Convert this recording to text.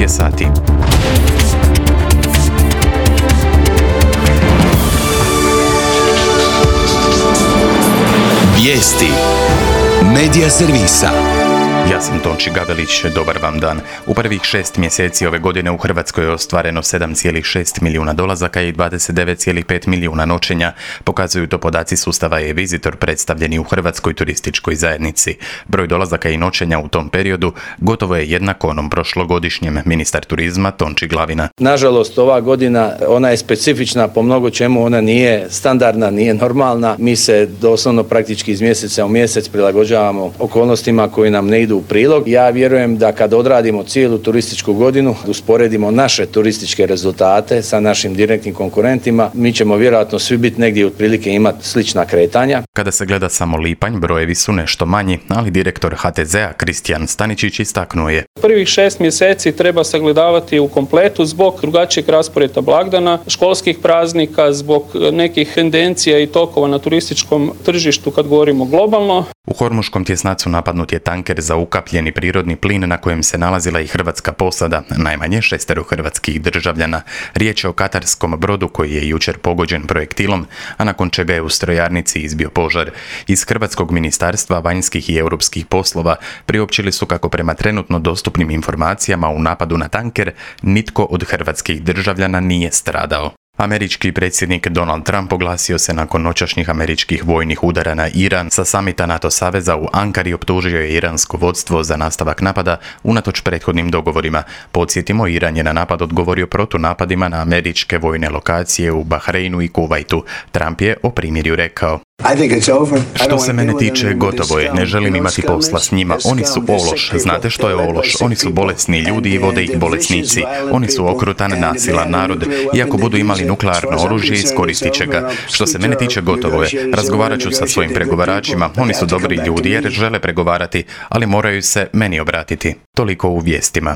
je sati. Vijesti Medija servisa. Ja sam Tonči Gavelić, dobar vam dan. U prvih 6 mjeseci ove godine u Hrvatskoj je ostvareno 7,6 milijuna dolazaka i 29,5 milijuna noćenja. Pokazuju to podaci sustava e-Visitor predstavljeni u Hrvatskoj turističkoj zajednici. Broj dolazaka i noćenja u tom periodu gotovo je jednak onom prošlogodišnjem, ministar turizma Tonči Glavina. Nažalost, ova godina, ona je specifična po mnogo čemu, ona nije standardna, nije normalna. Mi se doslovno praktički iz mjeseca u mjesec prilagođavamo okolnostima koji nam ne idu u prilog. Ja vjerujem da kad odradimo cijelu turističku godinu, usporedimo naše turističke rezultate sa našim direktnim konkurentima, mi ćemo vjerojatno svi biti negdje otprilike imati slična kretanja. Kada se gleda samo lipanj, brojevi su nešto manji, ali direktor HTZ-a Kristijan Staničić istaknuo je. Prvih 6 mjeseci treba sagledavati u kompletu zbog drugačijeg rasporeda blagdana, školskih praznika, zbog nekih tendencija i tokova na turističkom tržištu kad govorimo globalno. U Hormuškom tjesnacu napadnut je tanker za ukapljeni prirodni plin na kojem se nalazila i hrvatska posada, najmanje 6 hrvatskih državljana. Riječ je o katarskom brodu koji je jučer pogođen projektilom, a nakon čega je u strojarnici izbio požar. Iz Hrvatskog ministarstva vanjskih i europskih poslova priopćili su kako prema trenutno dostupnim informacijama u napadu na tanker nitko od hrvatskih državljana nije stradao. Američki predsjednik Donald Trump oglasio se nakon noćašnjih američkih vojnih udara na Iran. Sa samita NATO saveza u Ankari optužio je iransko vodstvo za nastavak napada unatoč prethodnim dogovorima. Podsjetimo, Iran je na napad odgovorio protunapadima na američke vojne lokacije u Bahreinu i Kuvajtu. Trump je o primirju rekao: Što se mene tiče, gotovo je. Ne želim imati posla s njima. Oni su ološ. Znate što je ološ? Oni su bolesni ljudi i vode ih bolesnici. Oni su okrutan, nasilan narod. Iako budu imali nuklearno oružje, iskoristit će ga. Što se mene tiče, gotovo je. Razgovarat ću sa svojim pregovaračima. Oni su dobri ljudi jer žele pregovarati, ali moraju se meni obratiti. Toliko u vijestima.